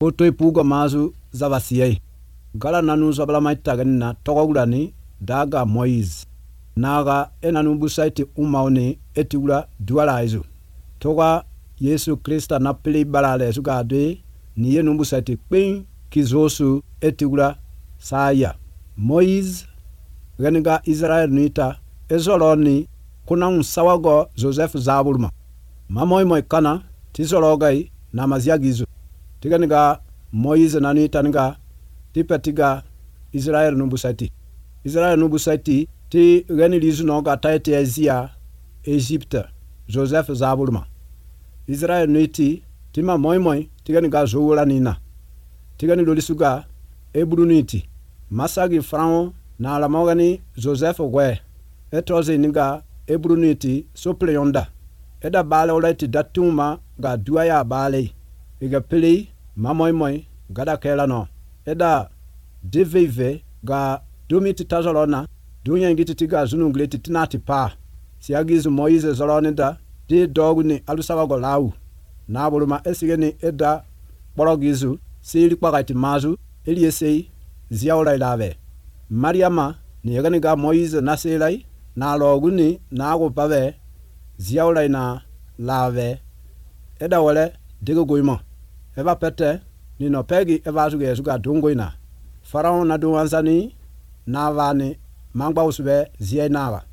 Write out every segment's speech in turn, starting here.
Potoi pugo mazu zavasiyai. Gala nanu zabala maitagani na togogulani daga Moise. Naga enanu busaiti umauni etiula dualaizu. Toga Yesu Krista na pili balale sugade ni yenu busaiti kpin kizosu etiula saya. Moise geniga Israel nita ezoloni kuna unsawago Joseph Zabulma. Mamoy kana tizologai na maziagizu. Tiganiga Moise nanita niga tipetiga Israel nubusaiti. Israel nubusaiti ti gani lizu noga taiti ezia Egypte Joseph Zabulma. Israel niti tima moy tiganiga zoula nina. Tigani lolisuga ebruniti. Masagi frango na alamogani Joseph we. Etoze niga ebruniti sopleyonda. Eda bale oleti datuma ga duaya bale. Iga pili mamoy gada kela no. Eda deveve ga dumiti tazolona. Dunya ngiti tiga zunungleti tinati pa. Siagizu Moise zolonida. Di dogu ni alusawago lau. Nabuluma esigeni eda borogizu. Sili kwagati mazu. Eliesei ziaulai lave. Mariama ni yaganiga Moise naselai. Na loguni na agupave. Ziaulai na lave. Eda wale digo goima. Eva pete ni no pegi eva suga dungoina. Farao na duwanzani na vani mangba usube ziai naga.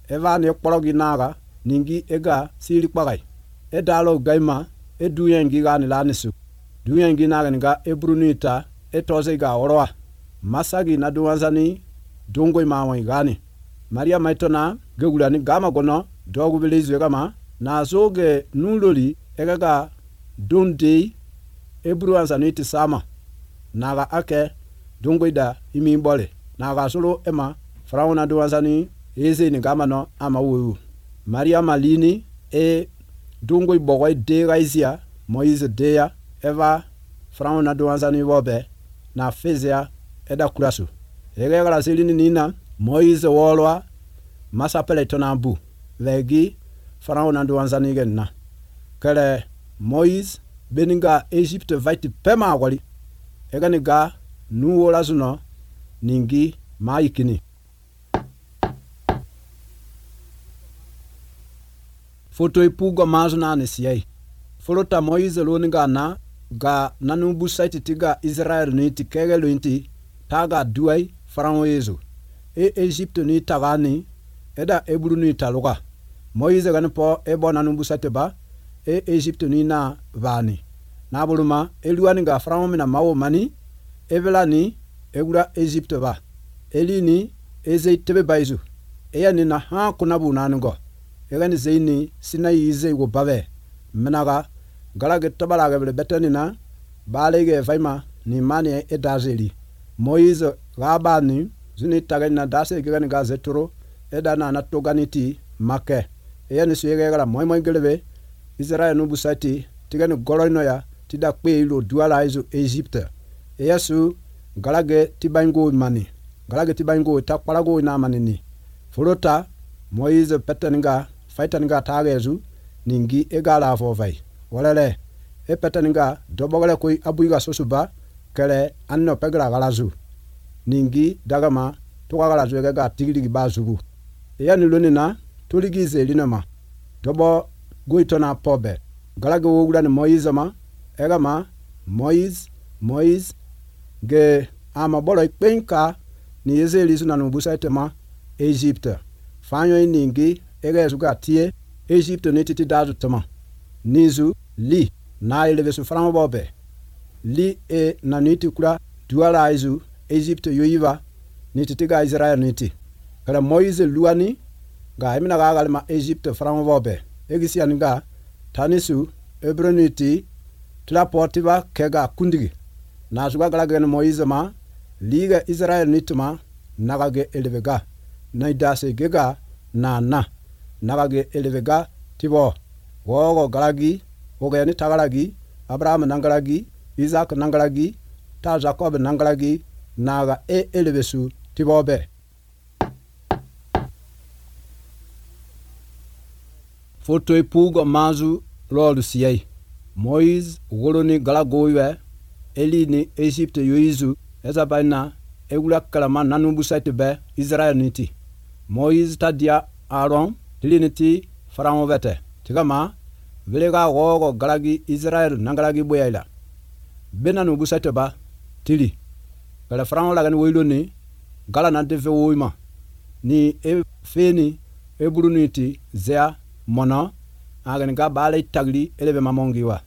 Eva ni ekpologi naga ningi ega sili kwagai. Edalo gaima eduyengi gani lanisu. Duyengi naga niga ebrunita etoze ga oroa. Masagi na duwanzani dungoi mawai gani. Maria maitona gegulani gama gono dogu bilizu egama na zoge nuloli egaga dundi ebruanzani iti sama. Naga ake dungoida imi mbole. Naga solo ema Farao na duwanzani eze ni gama no ama uwu. Maria malini dungoi bogoi dega izia Moise deya eva Farao na duwanzani wobe na fezea eda kurasu. Egegala selini nina Moise wolwa masapele tonambu legi Farao na duwanzani genna. Kele Moise beninga Egypte vaiti pema wali. Eganiga nuwola zuno ningi maikini. Foto ipugo mazu na anisiyai. Folota Moise loninga na ga nanubu saiti tiga Israel niti kegelu inti taga duai Farao yezu. Egypte ni tagani eda eburu ni taluga. Moise ganipo ebo nanubu saiti ba Egypte ni na vani. Nabuluma eluani ga Farao mina mawo mani evela ni egura Egypte ba. Elini eze tebe baizu. Eya ni na ha kunabu nanugo. Egani zeini sinai ize go bave. Menaga galage tabalage bele betani na balege faima ni mani edazeli. Moise gabani zuni tagani na dase gani ga zeturo edana na toganiti make. Eya ni suyege gala moy gelebe Israel nubusati tigani goloino ya tida kwe ilo duala izo Egypte. Eya su galage tibango mani. Galage tibango takpalago ina manini. Folota Moise peteninga faitaninga tagezu ningi egala afovai. Walele peteninga dobogale koi abuiga sosuba kele anno pegala galazu. Ningi dagama toka galazu egega tigiligi bazugu. Eya nilonina tuligize linama. Dobo goitona pobe. Galage wogula ni Moise ma egama Moise ge ama bolo ikpenka ni ezelizu na nubusaite ma Egypte. Fanyo ningi ege suga tie Egypte netiti dazu tama. Nizu li na elevesu Farao bobe. Li na niti kula duala izu Egypte yoiva niti ga Israel niti. Kala Moise luani ga emina ga galma Egypte Farao bobe. Egisi aniga tanisu ebroniti tla portiva kega kundigi. Na suga galagene Moise ma liga Israel nituma nagage elevega. Naidase gega na nagage elevega tibo. Wogo galagi ogeni tagalagi Abraham nangalagi Isaac nangalagi ta Jacob nangalagi naga elevesu tibobe. Foto ipugo mazu lolu siyai. Moise goloni galagoiwe eli ni Egypt yoizu ezabaina egula kalama nanu busaite be Israel niti Moïse tadia Aaron tiliniti Pharaon vete tigama velega gogo galagi Israel nangalagi boyaila benanu busaite ba tili kala Pharaon lagani woiloni gala na deve woima ni e feni e buruniti zea mona agani ga bale tagli elebe mamongiwa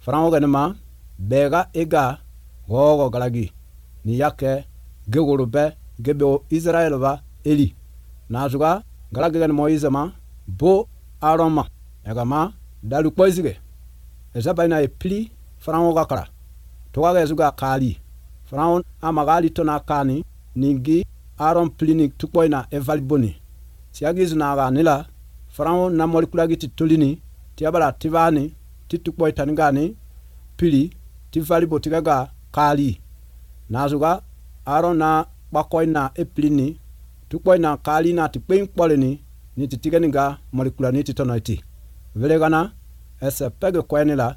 Pharaon gani ma bega ega gogo galagi ni yake gegorobe gebe Israel ba eli nazuga galagi gani Moïse ma bo Aaron ma egama dalu poizige ezabaina e pli Pharaon gakara toga ezuga kali Pharaon amagali tona kani ningi Aaron plinik tukboina evalboni siagizu naga nila Pharaon na molekulagi titulini tiabala tivani titukboy tanigani pili tivalibo tigaga kali nazuga Aaron na bakoina eplini tukboina kali na tikpein kpolini ni titiganiga molekulani titonaiti velegana ese pege kwenila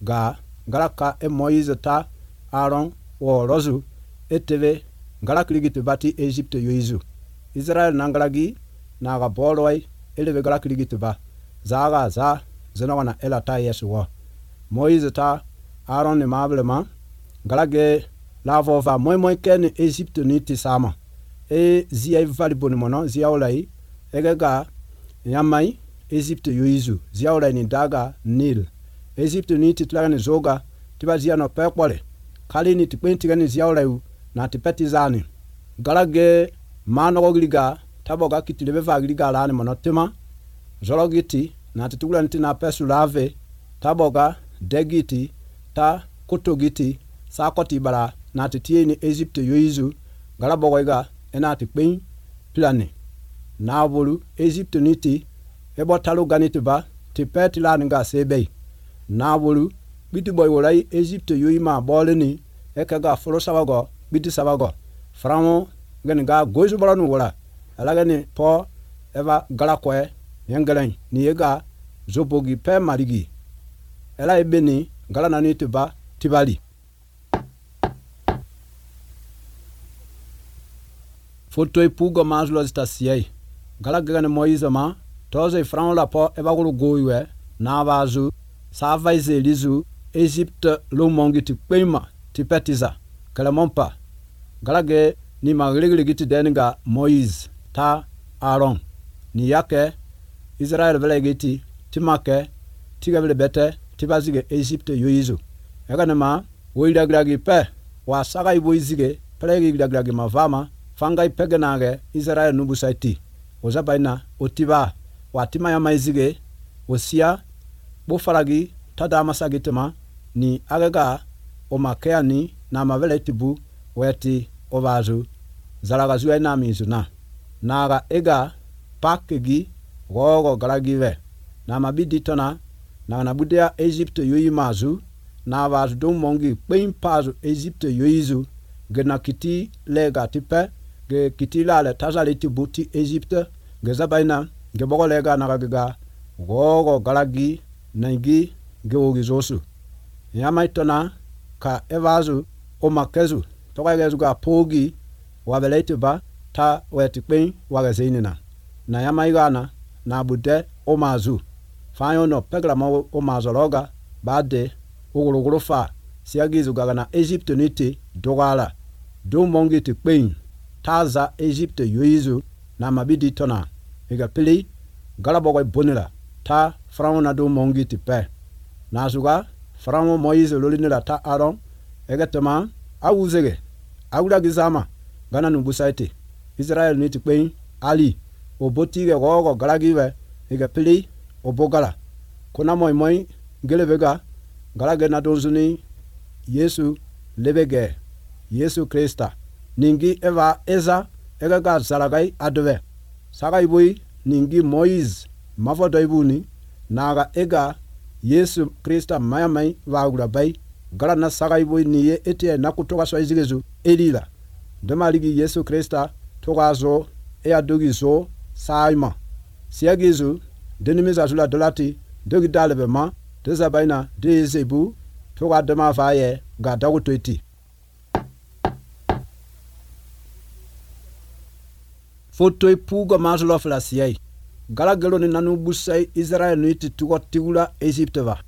ga galaka e Moïse ta Aaron wo rozu eteve galakligiti bati Egypt yoizu Israel nangalagi naga boloi eleve galakligiti ba zaga za zenawana elata yesu wo Moïse ta Aaron ni mablema galage lavova moy ken Egypt niti sama e zia valiboni mono zia olai egega yamai Egypt yoizu zia olai ni daga Nil Egypt niti tlagani zoga tiba zia no pekpole kali ni tikpentigani zia olai na tipetizani galage manogiliga taboga kitilebe vagiliga lani monotema zologiti na titugula nti na pesulave taboga degiti ta kutogiti sakoti bara na titieni Egypt yoizu galabogoiga ena tikpen plane na bolu Egypt niti ebo talu ganiti ba tipeti lani ga sebe na bolu biti boy wolai Egypt yoima boleni ekaga folo sabago biti sabago Pharaon gani ga goizu balanu wala alagani po eva galakwe yengelen ni yega zobogi pe marigi ela ebeni galana ni tiba tibali foto ipugo mazlo stasiei galagani Moïse ma toze Pharaon la po eva gulu goiwe na bazu savaize elizu Egypt lo mongi tipema tipetiza kalamompa galage ni magregre giti denga Moïse ta Aaron ni yake Israel velegiti timake tigavele bete tibazige Egypt yoizu yaganema woidagragi pe wa saga iboizige pelegi dagragi mavama fanga ipegenage Israel nubusaiti ozabaina otiba watima ya maizige osia bofaragi tadama sagitema ni agaga omakeani na mavele tibu weti ovazu zalagazu ena mizuna naga ega pakegi gogo galagive na mabidi tona na budea Egypt yoimazu na vazu dom mongi pein pazu Egypt yoizu gena kiti lega tipe ge kiti lale tazali tibuti Egypt ge zabaina ge bogo lega na gaga gogo galagi nangi ge ogizosu yamaitona ka evazu omakezu tokagezu ga pogi wabelete ba ta wetikpen wagazinina na yamaigana na bude omazu fayo no pegra mo omazologa bade ogorogoro fa siagizu gaga na Egypt niti dogala do mongi tikpen taza Egypt yoizu na mabidi tona ega pili galabogo bonira ta Pharaon na do mongi tipe na zuga Pharaon Moïse lolinira ta Aaron egetema awuzege awula gizama gana nubusaite Israel niti kwen ali obotige gogo galagiwe ega pili obogala kuna moy gelevega galage na donzuni Yesu lebege Yesu Krista ningi eva eza egaga zalagai adwe sagai boy ningi Moïse mavodo ibuni naga ega Yesu Krista mayamai wagula bai gala na sagai boy niye ete na kutoka so izigezu elila demaligi Yesu Krista togazo e adogizo saima siagizu denimiza dolati dogi dalebema dezabaina dezebu toga dema vaye ga dagu toiti foto puga mazulo flasiyai gala gelo ni nanu busai Israel ni titugo tigula Egypte va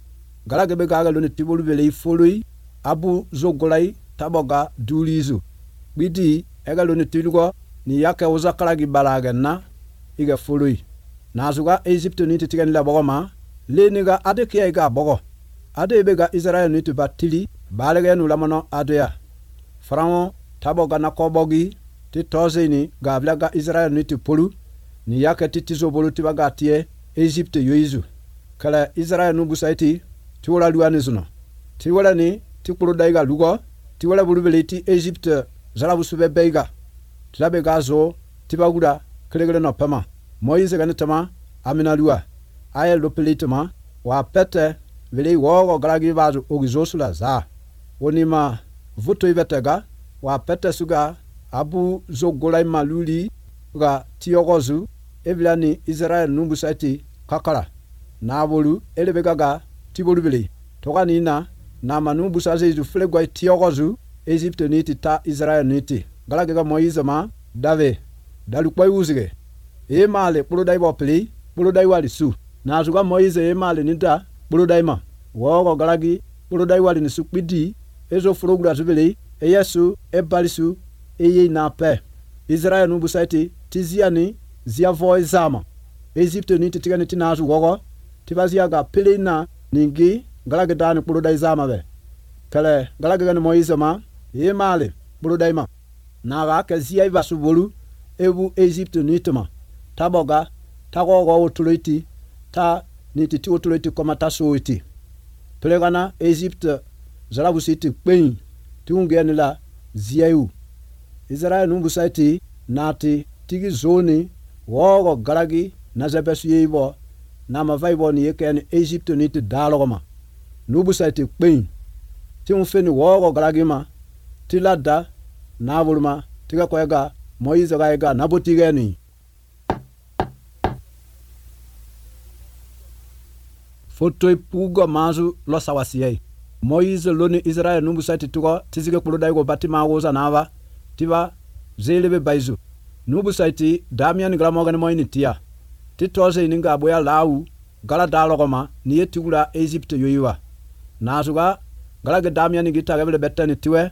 gala gebe gaga lo ni tibolu bele foloi abu zogolai taboga dulizu bidi ega lo ni tilugo ni yake uzakala gi balaga na iga foloi nazuga Egypte ni titiga ni la bogoma le niga ade kiya iga bogo ade be ga Israel ni tu batili balega nu lamono adoya frango taboga na kobogi ti toze ni ga blaga Israel ni tu polu ni yake titizo bolu ti baga tie Egypte yoizu kala Israel nu busaiti ti wala luani zuno ti wala ni ti polu daiga lugo ti wala bulu bele ti Egypte zala busube beiga tilabe gazo ti baguda klegele no pama Moïse gani tama amina lua aye lopelitama wa pete vele wogo galagi vazu ogizosula za onima vuto ivetega wa pete suga abu zogolai maluli ga tiogozu evilani Israel numbusaiti kakala na bolu elebegaga tibolu bele togani na manumbusaze izu flegwa tiogozu Egypte niti ta Israel niti galagi ga Moïse ma dave dalukwa uzige male puludai bopli puludai wali su na zuga Moïse male nida puludai ma wogo galagi puludai wali ni su pidi ezo frogura zubele yesu balisu eye na pe Israel nu busaiti tiziani zia voi zama Egypte ni titigani tinazu wogo tibazia ga pelina ningi galagi dani puludai zama be kale galagi ga Moïse ma male puludai ma na ga ka zia ibasu bolu ebu Egypte ni tama taboga tagogo otuliti ta nititi otuliti komata soiti plegana Egypte zalabusiti kwen tiungeni la ziayu Israel numbusaiti nati tigi zoni wogo galagi na zabesu yebo na mavaibo ni yekeni Egypte niti dalogoma nubusaiti kwen tiunfeni wogo galagi ma tilada na bulma tiga koyega Moïse gaiga nabotigeni foto puga mazu lo sawasiyai Moïse loni Israel numbusaiti tugo tizige puludai go batima woza nava tiba zelebe baizu numbusaiti damian gramogan moini tia titoze ininga boya lawu gala dalogoma ni yetigula Egypte yoyiwa nazuga gala ge damian gita gebele betani tiwe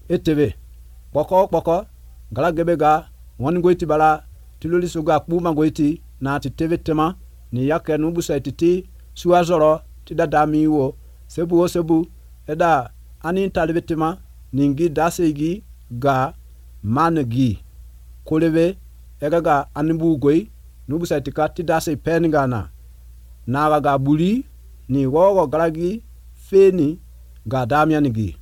etebe poko gala gebe ga won goiti bala tiloli suga kpuma goiti na titeve tema ni yake numbusaiti ti suazoro ti dadami wo sebu eda ani talibetema ningi dasegi ga manegi kolebe egaga anibu goi nubusaiti ka ti dase peningana na ga buli ni wogo galagi feni ga damianigi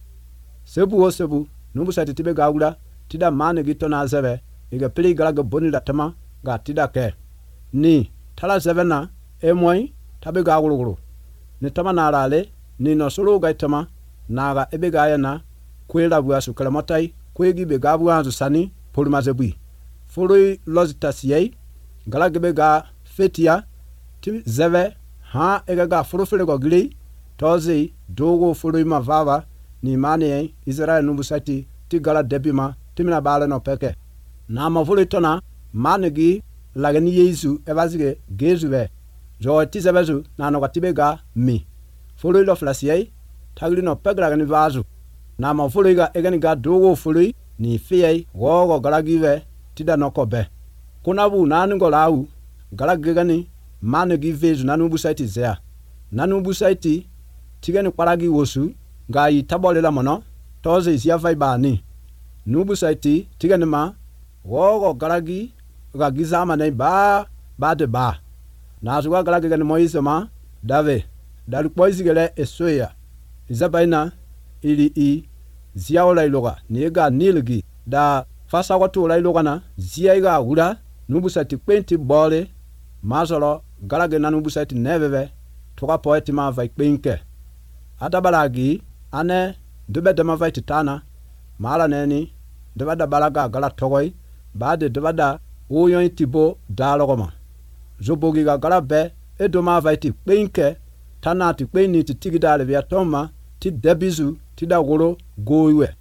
sebu nubusaiti tibe gawula tida manegi tona zebe ega peli galaga bonila tama ga tida ke ni tala zebena emoi tabe ga gulugulu ni tama na rale ni no solo ga tama na ga ebe ga yana kwela buasu kalamotai kwegi be ga buanzu sani polumazebui foloi lozitasiei gala gebe ga fetia ti zeve ha ega ga furufele go gili tozi dogo foloi mavava ni mane Israel numbusati ti gala debima timina bala no peke na ma foloi tona manegi lagani Yesu ebazige gezuwe jo ti zebezu na no gatibe ga mi foloi lo flasiei tagli no pegra ni vazu na ma foloi ga egani ga dogo foloi ni fiyai wogo galagive tida no kobe kunabu nanu go lawu galagani manegi vezu nanu busaiti zea nanu busaiti tigani paragi wosu ga yi tabolela mono toze isia vaibani nubu saiti tigani ma wogo galagi ga gizama nei ba de ba na zuwa galagi gani Moïse ma dave dalu poisi gele esoya izabaina ili i ziaola iloga niega nilgi da fasa watu la iloga na ziaiga ura nubu saiti kwenti bole mazolo galagi na nubu saiti neveve toka poeti ma vai kwenke adabalagi ane dube dama vai titana mala neni dubada balaga gala togoi bade dubada uyon tibo dalogoma zobogi ga gala be edoma vai ti kwenke tana ti kweni ti tigidale via toma ti debizu ti da woro goiwe.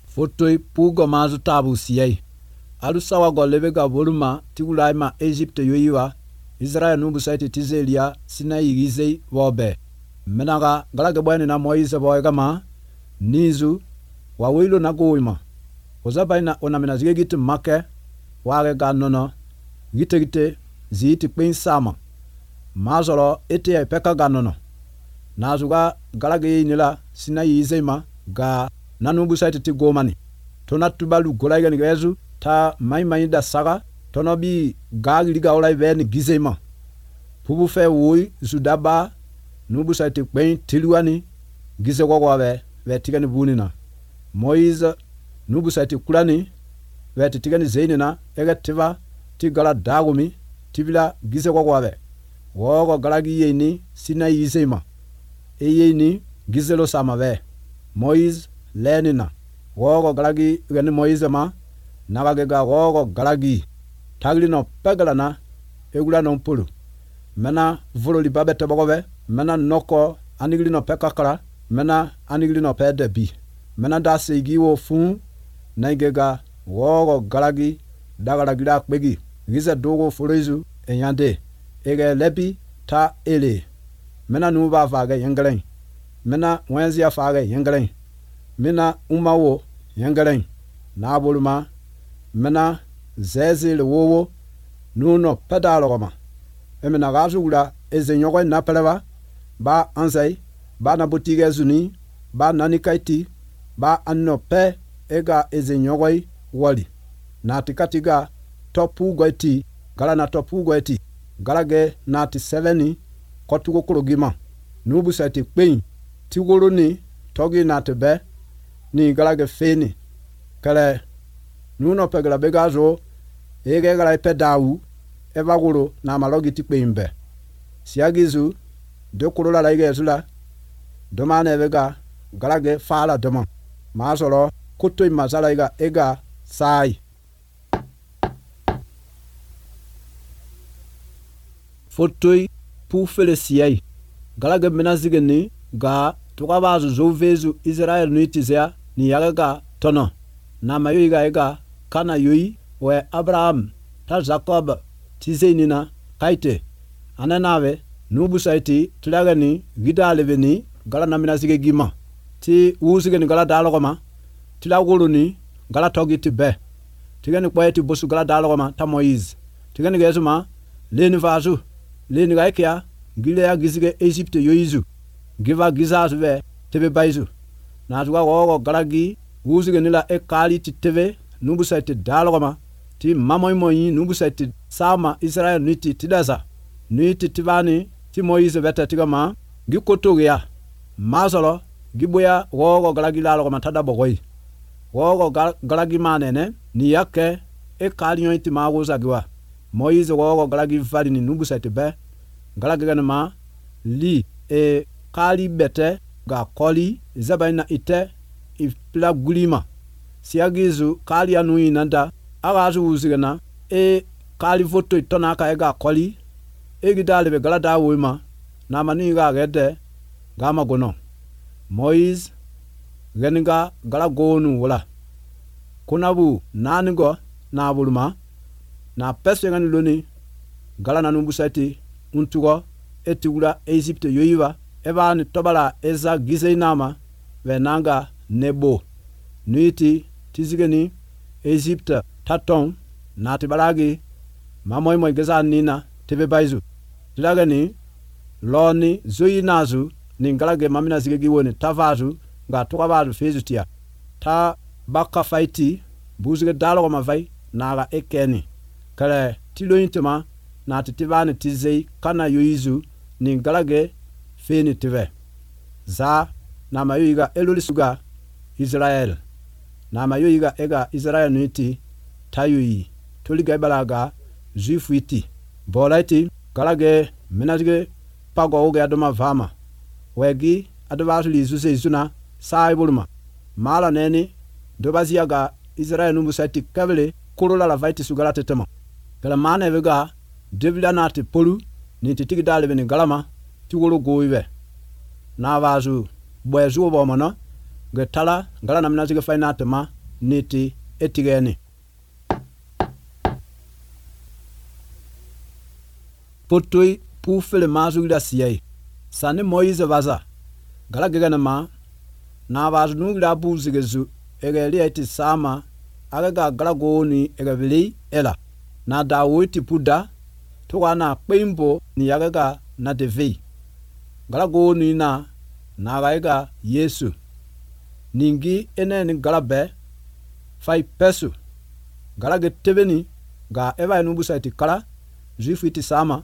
Fotoi pugo mazu tabu siyai. Alu sawa go lebe ga voluma ti ulai ma Egypte yoyiwa. Israel nubu saiti tizelia Sinai gizei wobe. Menaga galage bwani na Moise boyga ma nizu wa wilo na goima. Ozabaina onamina zigegiti make wage ga nono gite ziti kwen sama. Mazoro ete ya peka ga nono. Nazuga galage nila Sinai izema ga nanubu saiti ti gomani. Tona tubalu golaiga nigezu ta mai da saga tono bi gagi liga olai veni gizema. Pubu fe woi zudaba nubu saiti kwen tiluani gize wogwawe ve tigani bunina. Moise nubu saiti kulani ve tigani zeinina ega tiva ti gala dagumi tibila gize wogwawe. Wogo galagi yeni Sinai izema. Eyeni gizelo samave. Moise lenina. Wogo galagi gani Moise ma nagagega wogo galagi taglino pegalana egula non pulu. Mena volo li babete bogove. Mena noko aniglino pekakara. Mena aniglino pedebi. Mena da segiwo fun naigega wogo galagi dagalagira kwegi. Gize dogo furezu enyande. Ege lebi ta ele. Mena nuba fage yengeleng. Mena wenzia fage yengeleng. Mena umawo yengeleng. Na boluma. Mena zezile wowo nuno pedalogoma. Emena gazula ezenyogwe na peleva ba anzai ba na botige zuni ba nanikaiti ba anno pe ega ezenyogwe wali. Na tikatiga topu goiti gala na topu goiti galage na ti 7 kotugo kurogima. Nubu saiti kwen ti woro ni togi na tebe ni galage feni. Kale nuno pegala begazo ege gala pedawu eva woro na malogi ti kwenbe. Siagizu de kurola la ige zula domane vega galage fala doma. Masoro kuto imazala iga ega sai. Fotoi pu felesiai. Galage menazigeni ga tukabazu zovezu Israel nuitizea ni yagaga tono. Na mayo iga ega kana yoi we Abraham ta Jacob tizenina kaite. Ananawe nubu saiti tulagani gidaleveni gala naminazige gima. Ti uzigeni gala dalogoma. Tilaguluni gala togi tibe. Tigani kwa eti bosu gala dalogoma ta Moise. Tigani gezuma leni vazu. Leni gaikia gile ya gizige Egypte yoizu. Giva gizazu ve tebe baizu. Na tuga wogo galagi uzige nila ekali ti tebe nubu saiti dalogoma. Ti mamoy nubu saiti sama Israel niti tidaza. Niti tivani ti Moise veta tigama gikoto ya. Mazolo giboya wogo galagi lalogoma tada bogoi. Wogo galagi manene ni yake ekali yon iti maguza giwa. Moise wogo galagi vali ni nubu saiti be. Galagi ganama li e kali bete ga koli zabaina ite ipla gulima. Siagizu kali anui nanda agazu uzigana e kali voto itona ka ega koli egidale be galada wima na mani ga gede gama gono. Moise geninga galagonu wala kunabu nanigo na buluma na pesengani loni gala na numbu saiti untugo etiwula Egypte yoyiwa eba ni tobala eza gizenama venanga nebo nuiti tizigeni Egypte taton na tibalagi mamoy geza nina tebe baizu tilagani loni zoyinazu ningalage mamina zigegi woni tavazu ga tukabazu fezutia ta baka faiti buzige dalo ma vai naga ekeni kale tiloyintema na titivani tizei kana yoizu ningalage feni tive za na mayoiga elolisuga Israel na mayoiga ega Israel nuiti tayui toliga balaga juifu iti bolaiti galage menazige pago oge adoma vama wegi advasu lizuze izuna sai buluma mala neni dobaziaga Israel numbu saiti kavele kurola la vaiti sugala tetema gala mane vega devila nati polu ni ti tigi dalibe ni galama ti woro goibe na vazu bwezu bo mono ge tala ngala namna zige faina tema ni ti etigeni potoi pu fele mazu ila siyai sani Moise vaza gala gegana ma na vazu nugila buzige zu ege liya iti sama aga ga gala goni ege vili ela na Dawiti puda tuwa na kpeimbo ni yaga ga na devei gala goni na ga Yesu ningi ene ni gala be fai pesu gala ge tebeni ga eva enubusa iti kala juifu iti sama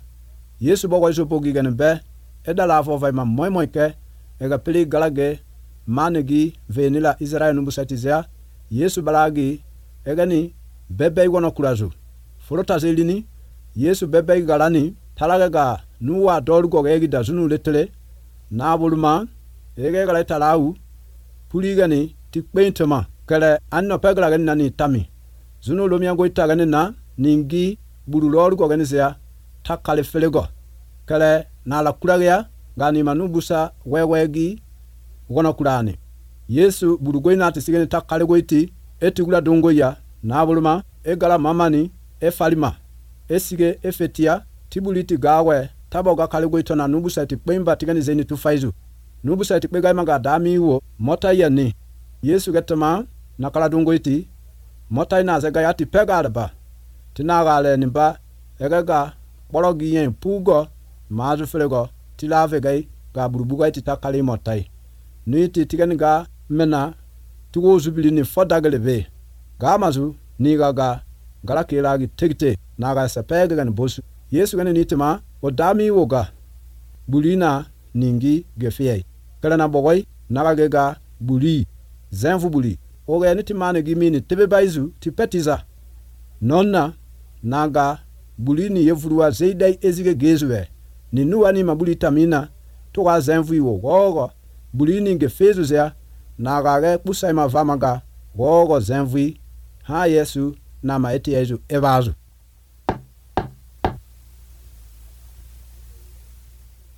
Yesu bogo iso pogi gane be edala afo fai ma moi ke ega pili gala ge manegi venila Israel nubusa iti zea Yesu balagi egani bebe igono kurazu forota zelini Yesu bebe galani talaga ga nuwa dolgo ga egi da zunu letele na buluma ege gala talau puligani tikpeintema kale anno pegala gani nani tami zunu lomia go itagani na ningi buru lorgo gani zea takale felego kale na la kuragya gani manubusa wewegi gono kurani Yesu buru goina tisigani takale goiti etigula dongo ya na buluma egala mamani efalima esige efetia tibuliti gawe taboga kale goito na nubusa tikpemba tigani zeni tufaizu nubusa tikpega maga dami wo mota yani Yesu getama nakala dongo iti mota ina zega yati pega alba tinagale nimba egaga bologi yen pugo mazu felego tilave gai ga burubuga iti takale motai nuiti tigani ga mena tugo zubili ni fodagelebe ga mazu ni ga gala kelagi tegite naga sapega gan bosu Yesu gani nitima o dami woga bulina ningi gefei kala na bogoi naga gega buli zenfu buli oga nitima ne gimini tebe baizu tipetiza nonna naga bulini yevruwa zeidai ezige gezwe ni nuwani mabuli tamina toga zenfu iwo gogo bulini ngefezu zea naga ge pusai mavamaga gogo zenfu ha Yesu na maeti Yesu evazu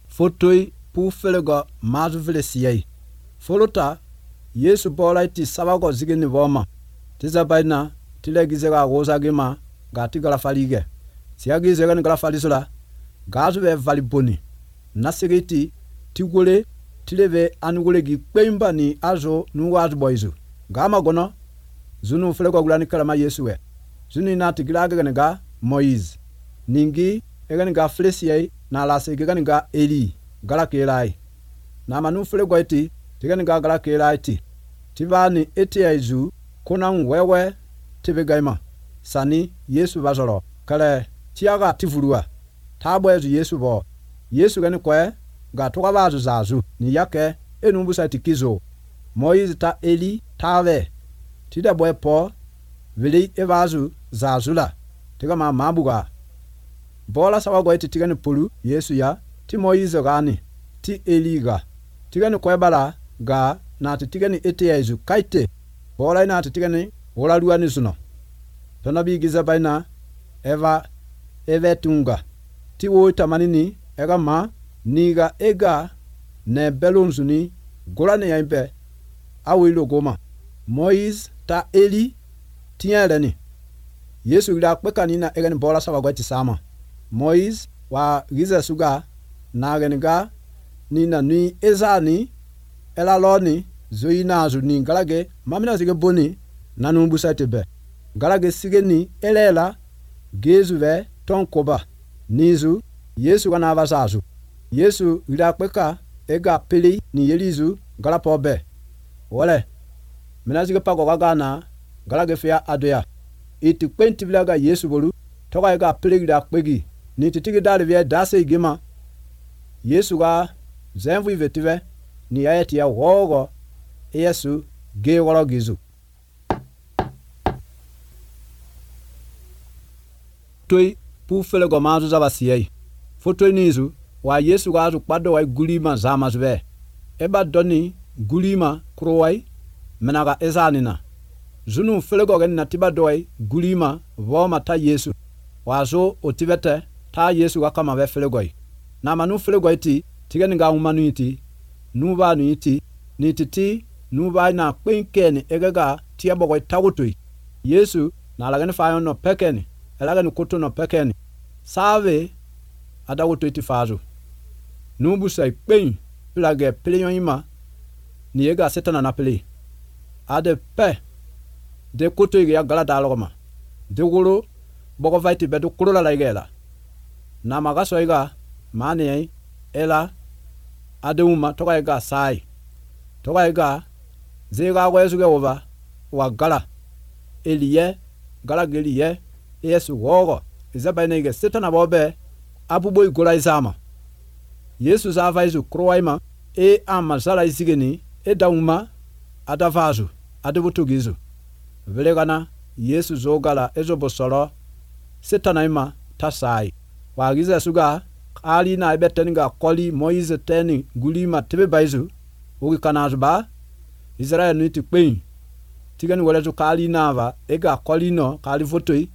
fotoi pu felego mazu vile siyai folota Yesu bola iti sabago zigini voma tiza baina tilegize ga goza gima ga tigala falige siyagize ga ngala falisula gazu ve valiboni nasigiti tigole tileve anugole gi kpemba ni azo nuwazu boizu gama gono zunu felego gulani kalama Yesu we zuni na tigilaga ga Moise ningi egani ga flesiyai na lase egani ga Eli gala kelai na manu felego iti tigani ga gala kelai ti tivani eti aizu kuna wewe tibegaima sani Yesu bazoro kale tiaga tivurua tabwezu Yesu bo Yesu gani kwe ga toka bazu zazu ni yake enumbusa tikizo Moise ta Eli tave tida bwe po vili evazu zazula tiga ma mabuga bola sawa go iti tigani pulu Yesu ya ti Moise gani ti Eli ga tigani kwe bala ga na tigani eti yezu kaite bola ina tigani wala luani suno tona bi giza baina eve tunga ti wo tamanini ega ma niga ega ne belonzuni golane yaimbe awilo goma Moise ta Eli tieleni Yesu ila kwekanina ega ni bola sawa gwati sama Moise wa giza suga na geniga nina ni ezani ela loni zoina azu ni galage mamina zige boni nanumbu satebe galage sigeni elela gezuve tonkoba nizu Yesu kana avasazu Yesu ila kweka ega pili ni yelizu galapobe wole mina zige pago gagana galage fia adoya iti kwenti vilaga Yesu bolu toka ega pili ila kwegi ni titigi dali vya dase igima Yesu ga zenvu ivetive ni ayeti ya wogo Yesu ge wolo gizu toi pu felego mazu zabasiyai fotoi nizu wa Yesu gazu kpado wa gulima zama zube eba doni gulima krowai menaga ezanina zunu felego gen natiba doi gulima voma ta Yesu wazo otivete ta Yesu ga kama ve felegoi na manu fele go iti tigani ga umanu iti nuba nu iti ni titi nuba na kwenkeni egega tia bogo tawutui Yesu na lagani fayo no pekeni elagani kutu no pekeni save adawutu iti fazu nubu sai kwen plage pleyon ima ni ega setana na pele ade pe de kutu ya gala dalogoma de guru bogo vaiti bedu kurula la igela na magaso iga mani ela ade uma toka iga sai toka iga zega wezuge over wa gala eliye gala geliye Yesu wogo izaba nege setana bobe abubo igora izama Yesu zava izu kroaima amazala izigeni dauma adavazu adebutugizu velegana Yesu zogala ezobosoro setana ima tasai wagiza suga ali na ibeteninga koli Moise teni gulima tebe baizu ugi kanazba Israel niti kwen tigani walezu kali nava ega koli no kali fotoi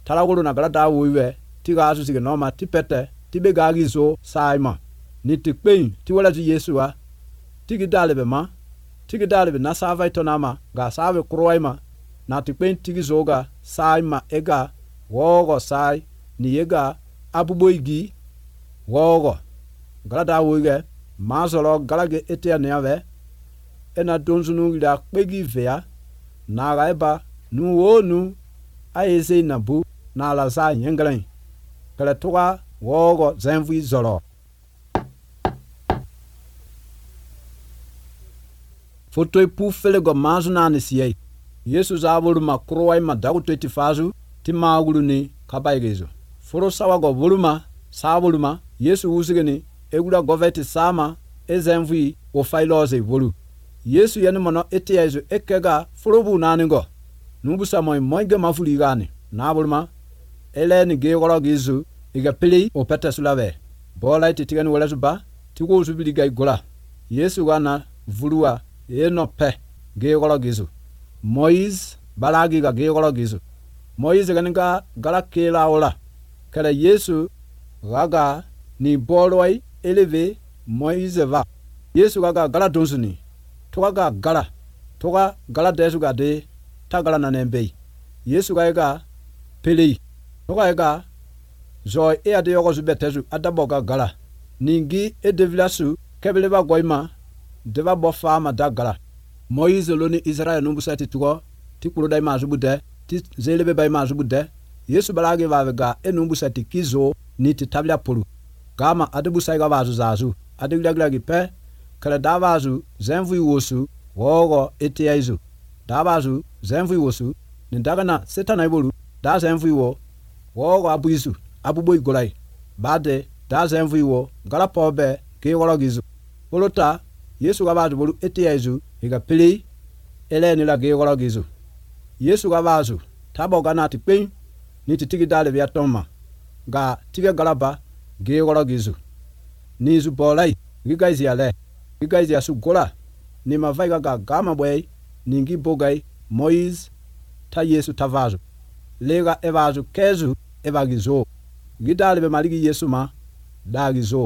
talagulu na galada wiwe tiga asu sige noma tipete tibe gagizo saima niti kwen ti walezu Yesu wa tigi dalebe ma tigi dalebe na sava itonama ga save kroaima na tikpen tigi zoga saima ega wogo sai ni ega abuboigi wogo galada wiwe mazolo galage etia neave ena donzunu ila kpegi vea na gaiba nu wonu aeze nabu na la za yenglen kala toga wogo zenvi zoro foto pu fele go mazu na nisiye Yesu zabulu makroai madagutu etifazu timagulu ni kabaigezo foro sawa go voluma sabuluma Yesu uzigeni egula goveti sama ezenvi o failoze volu Yesu yani mono etiezo ekega forobu naningo nubusa moige mafuli gani nabulma eleni gegoro gizu iga pili o petesulave bola ititigani walazuba tigo zubiliga igola Yesu gana vulua eno pe gegoro gizu Moise balagi ga gegoro gizu Moise ganinga galakela ola kala Yesu gaga ni boloi eleve Moise va Yesu gaga gala donsuni toga gala desu ga de tagala na nembe Yesu ga pele toga ga zo e ade yogo zubetezu adaboga gala ningi edevilasu kebeleba goima deva bofa ma dagala Moise loni Israel numbusati tugo tikuro dai mazubude ti zelebe bai mazubude Yesu balage vavega enumbusati kizo ni titabla polu gama adebusai ga vazu zazu adeglagi pe kala davazu zenvu wosu wogo eteizu davazu zenvu wosu ndagana setana ibolu da zenvu wo wogo abuizu abubo igolai bade da zenvu wo galapobe ke wologizu polota Yesu gavazu bolu eteizu iga pili eleni la ge wologizu Yesu gavazu taboga tikpen ni titigi dale vya toma ga tige galaba ge wologizu nizu bolai gigaizi ale gigaizi asugora ni mavaiga ga gama bwei ningi bogai Moise ta Yesu tavazu lega evazu kezu evagizo gidale be maligi Yesu ma dagizo